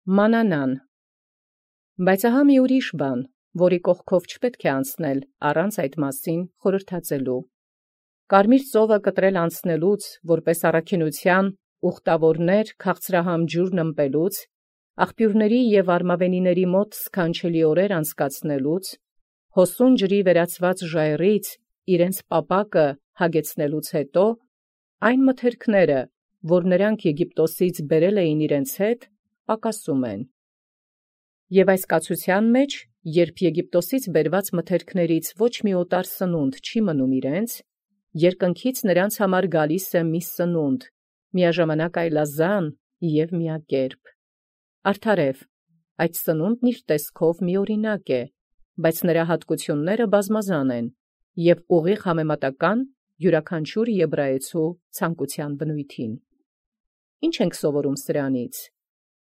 Մանանան։ Բայց ահա մի ուրիշ բան, որի կողքով չպետք է անցնել առանց այդ մասին խորհրդածելու։ Կարմիր ծովը կտրել անցնելուց, որպես առաքինության ուխտավորներ քաղցրահամ ջուրն ըմպելուց, աղբյուրների և արմավենիների մոտ սքանչելի օրեր անցկացնելուց, հոսուն ջրի վերածված ժայռից իրենց պապակը հագեցնելուց հետո, այն մթերքները, որ նրանք Եգիպտոսից բերել էին իրենց հետ, պակասում են։ Եվ այս կացության մեջ, երբ Եգիպտոսից բերված մթերքներից ոչ մի օտար սնունդ չի մնում իրենց, երկնքից նրանց համար գալիս է մի սնունդ, միաժամանակ այլազան և միակերպ։ Արդարև, այդ սնունդն իր տեսքով միօրինակ է, բայց նրա հատկությունները բազմազան են և ուղիղ համեմատական յուրաքանչյուր եբրայեցու ցանկության բնույթին։ Ինչ ենք սովորում սրանից։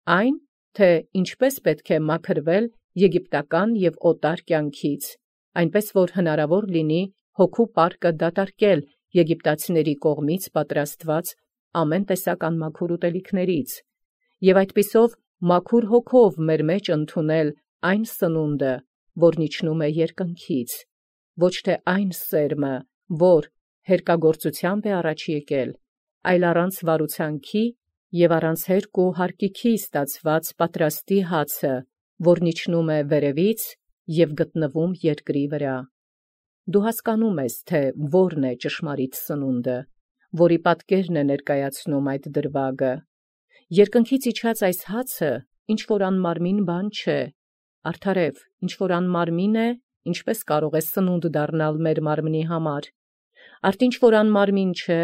Այն, թե ինչպես պետք է մաքրվել եգիպտական և օտար կյանքից, այնպես որ հնարավոր լինի հոգու պարկը դատարկել եգիպտացիների կողմից պատրաստված ամեն տեսակ անմաքուր ուտելիքներից, և այդպիսով մաքուր հոգով մեր մեջ ընդունել այն սնունդը, որն իջնում է երկնքից, ոչ թե այն սերմը, որ հերկագործությամբ է առաջ եկել, այլ առանց վարուցանքի և առանց հերկ ու հարկիքի ստացված պատրաստի հացը, որն իջնում է վերևից և գտնվում երկրի վրա։ Դու հասկանում ես, թե որն է ճշմարիտ սնունդը, որի պատկերն է ներկայացնում այդ դրվագը։ Երկնքից իջած այս հացը ինչ-որ անմարմին բան չէ, արդարև, ինչ-որ անմարմին է, ինչպես կարող է սնունդ դառնալ մեր մարմնի համար, արդ ինչ-որ անմարմին չէ,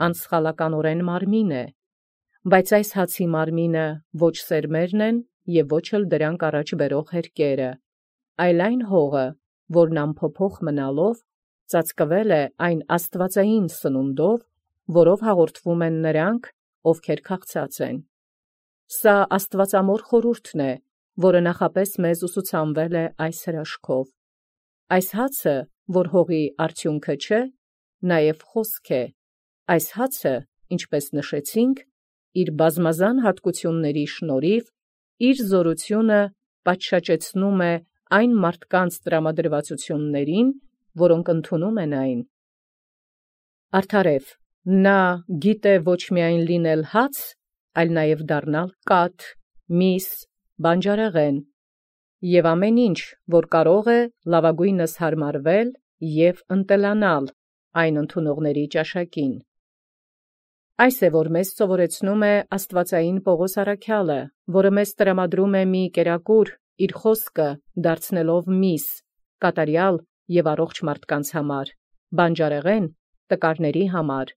անսխալականորեն մարմին է, բայց այս հացի մարմինը ոչ սերմերն են և ոչ էլ դրանք առաջ բերող հերկերը, այլ այն հողը, որն անփոփոխ մնալով ծածկվել է այն աստվածային սնունդով, որով հաղորդվում են նրանք, ովքեր քաղցած են։ Սա աստվածամոր խորհուրդն է, որը նախապես մեզ ուսուցանվել է այս հրաշքով։ Այս հացը, որ հողի արդյունքը չէ, նաև խոսք է։ Այս հացը, ինչպես նշեցինք, իր բազմազան հատկությունների շնորհիվ իր զորությունը պատշաճեցնում է այն մարդկանց տրամադրվածություններին, որոնք ընդունում են այն։ Արդարև, նա գիտե ոչ միայն լինել հաց, այլ նաև դառնալ կաթ, միս, բանջարեղեն և ամեն ինչ, որ կարող է լավագույնս հարմարվել և ընտելանալ այն ընդունողների ճաշակին։ Այս է, որ մեզ սովորեցնում է աստվածային Պողոս առաքյալը, որը մեզ տրամադրում է մի կերակուր իր խոսքը դարձնելով միս, կատարյալ և առողջ մարդկանց համար, բանջարեղեն տկարների համար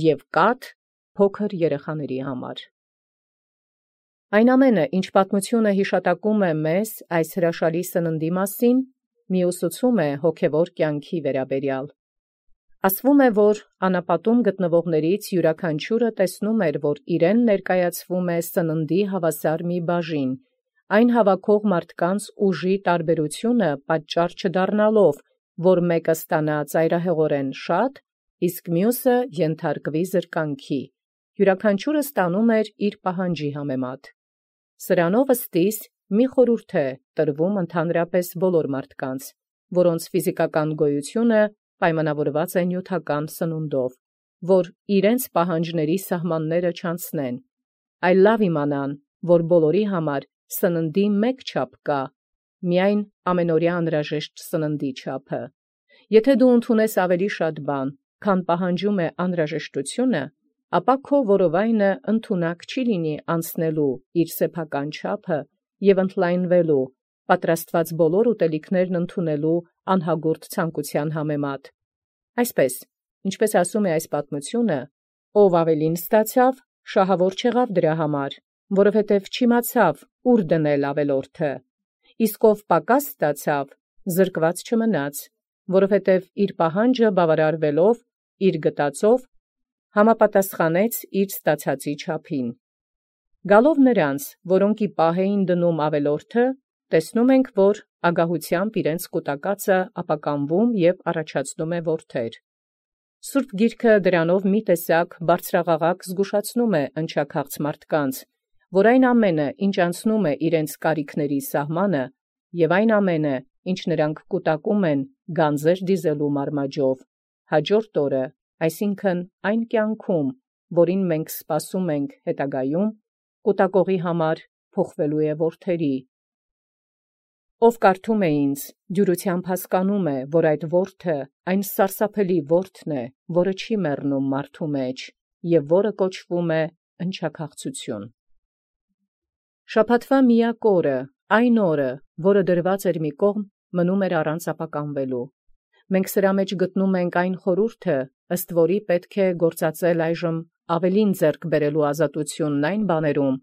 և կաթ փոքր երեխաների համար։ Այն ամենը, ինչ պատմությունը հիշատակում է մեզ այս հրաշալի սննդի մասին, մի ուսուցում է հոգևոր կյանքի վերաբերյալ։ Ասվում է, որ անապատում գտնվողներից յուրաքանչյուրը տեսնում էր, որ իրեն ներկայացվում է սննդի հավասար մի բաժին, այն հավաքող մարդկանց ուժի տարբերությունը պատճառ չդառնալով, որ մեկը ստանա ծայրահեղորեն շատ, իսկ մյուսը ենթարկվի զրկանքի, յուրաքանչյուրը ստանում էր իր պահանջի համեմատ։ Սրանով ըստիս մի խորհուրդ է տրվում ընդհանրապես բոլոր մարդկանց, որոնց ֆիզիկական գոյությունը պայմանավորված է նյութական սնունդով, որ իրենց պահանջների սահմանները չանցնեն, այլ լավ իմանան, որ բոլորի համար սննդի մեկ չափ կա, միայն ամենօրյա անհրաժեշտ սննդի չափը։ Եթե դու ընդունես ավելի շատ բան, քան պահանջում է անհրաժեշտությունը, ապա քո որովայնը ընդունակ չի լինի անցնելու իր սեփական չափը և ընդլայնվելու, պատրաստված բոլոր ուտելիքներն ընդունելու անհագուրդ ցանկության համեմատ։ Այսպես, ինչպես ասում է այս պատմությունը, ով ավելին ստացավ, շահավոր չեղավ դրա համար, որովհետև չիմացավ ուր դնել ավելորդը, իսկ ով պակաս ստացավ, զրկված չմնաց, որովհետև իր պահանջը բավարարվելով իր գտածով համապատասխանեց իր ստացածի չափին։ Գալով նրանց, որոնք ի պահ էին դնում ավելորդը, տեսնում ենք, որ ագահությամբ իրենց կուտակածը ապականվում և առաջացնում է որդեր։ Սուրբ Գիրքը դրանով մի տեսակ բարձրաղաղակ զգուշացնում է ընչաքաղց մարդկանց, որ այն ամենը, ինչ անցնում է իրենց կարիքների սահմանը, եւ այն ամենը, ինչ նրանք կուտակում են գանձեր դիզելու մարմաճով, հաջորդ օրը, այսինքն այն կյանքում, որին մենք սպասում ենք հետագայում, կուտակողի համար փոխվելու է որդերի։ Ով կարդում է ինձ, դյուրությամբ հասկանում է, որ այդ որդը այն սարսափելի որդն է, որը չի մեռնում մարդու մեջ, եւ որը կոչվում է ընչաքաղցություն։ Շաբաթվա միակ օրը, այն օրը, որը դրված էր մի կողմ, մնում էր առանց ապականվելու։ Մենք սրա մեջ գտնում ենք այն խորհուրդը, ըստ որի պետք է գործածել այժմ ավելին ձեռք բերելու ազատությունն այն բաներում,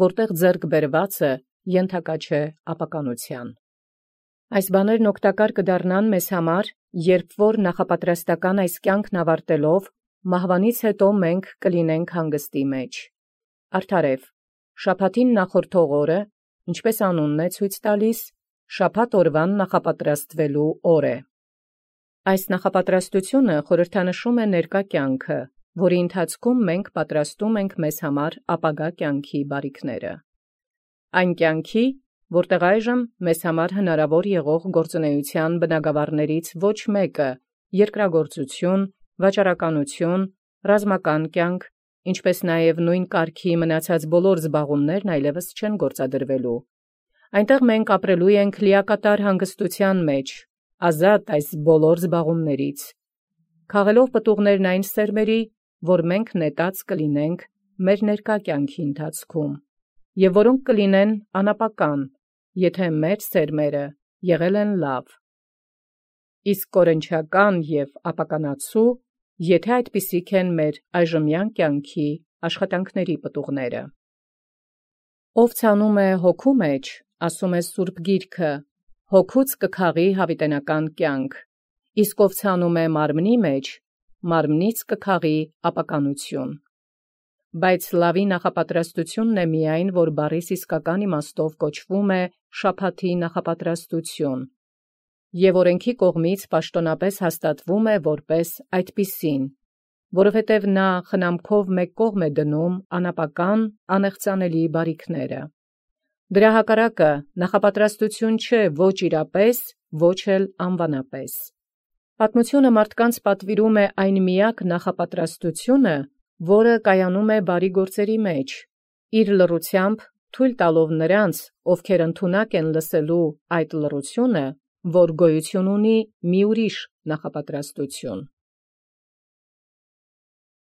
որտեղ ձեռք բերվածը ենթակա չէ ապականության։ Այս բաներն օգտակար կդառնան մեզ համար, երբ որ նախապատրաստական այս կյանքն ավարտելով, մահվանից հետո մենք կլինենք հանգստի մեջ։ Արդարև, շաբաթին նախորդող օրը, ինչպես անունն է ցույց տալիս, շաբաթ օրվան նախապատրաստվելու օր է։ Այս նախապատրաստությունը խորհրդանշում է ներկա կյանքը, որի ընթացքում մենք պատրաստում ենք մեզ համար ապագա կյանքի բարիքները։ Այն կյանքի, որտեղ այժմ մեզ համար հնարավոր եղող գործունեության բնագավառներից ոչ մեկը երկրագործություն, վաճառականություն, ռազմական կյանք, ինչպես նաև նույն կարգի մնացած բոլոր զբաղումներն այլևս չեն գործադրվելու։ Այնտեղ մենք ապրելու ենք լիակատար հանգստության մեջ, ազատ այս բոլոր զբաղումներից, քաղելով պտուղներն այն սերմերի, որ մենք նետած կլինենք մեր ներկա կյանքի ընթացքում, եւ որոնք կլինեն անապական, եթե մեր սերմերը եղել են լավ, իսկ կորնչական եւ ապականացու, եթե այդպիսիք են մեր այժմյան կյանքի աշխատանքների պտուղները։ Ով ցանում է հոգու մեջ, ասում է Սուրբ Գիրքը, հոգուց կքաղի հավիտենական կյանք, իսկ ով ցանում է մարմնի մեջ, մարմնից կքաղի ապականություն։ Բայց լավի նախապատրաստությունն է միայն, որ բառիս իսկական իմաստով կոչվում է շաբաթի նախապատրաստություն, եւ օրենքի կողմից պաշտոնապես հաստատվում է որպես այդպիսին, որովհետև նա խնամքով մեկ կողմ է դնում անապական, անեղծանելի բարիքները։ Դրա հակառակը նախապատրաստություն չէ ոչ իրապես, ոչ էլ անվանապես։ Պատմությունը մարդկանց պատվիրում է այն միակ նախապատրաստությունը, որը կայանում է բարի գործերի մեջ, իր լռությամբ թույլ տալով նրանց, ովքեր ընդունակ են լսելու այդ լռությունը, որ գոյություն ունի մի ուրիշ նախապատրաստություն։